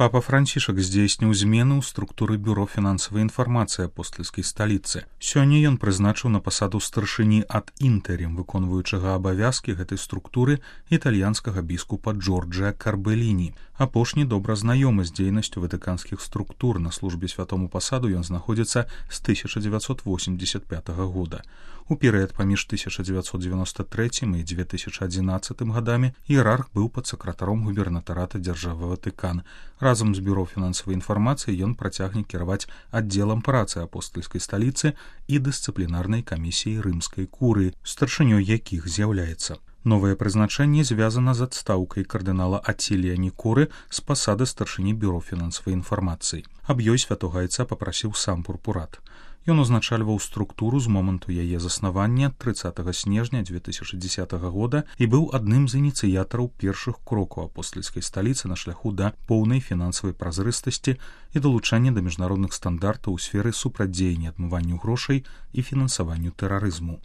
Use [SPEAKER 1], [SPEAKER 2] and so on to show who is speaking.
[SPEAKER 1] Папа Францішак здзейсніў змены ў структуры бюро фінансавай інфармацыі апостальскай сталіцы. Сёння ён прызначыў на пасаду старшыні ад інтэрім, выконваючага абавязкі гэтай структуры італьянскага біскупа Джорджа Карбеліні. Апошні добра знаёмы з дзейнасцю ватыканскіх структур. На службе святому пасаду ён знаходзіцца з 1985 года. У перыяд паміж 1993 і 2011 гадамі іерарх быў падсакратаром губернатарата дзяржавы Ватыкан. Разам з бюро фінансавай інфармацыі ён працягне кіраваць аддзелам працы апостальскай сталіцы і дысцыплінарнай камісіяй рымскай курыі, старшынёй якіх з'яўляецца. Новае прызначэнне звязана з адстаўкай кардынала Ацілія Нікоры з пасады старшыні бюро фінансавай інфармацыі. Аб ёй святога айца папрасіў сам пурпурат. Ён узначальваў структуру з моманту яе заснавання 30 снежня 2010 года і быў адным з ініцыятараў першых крокаў апостальскай сталіцы на шляху да поўнай фінансавай празрыстасці і далучання да міжнародных стандартаў у сферы супрацьдзеяння адмыванню грошай і фінансаванню тэрарызму.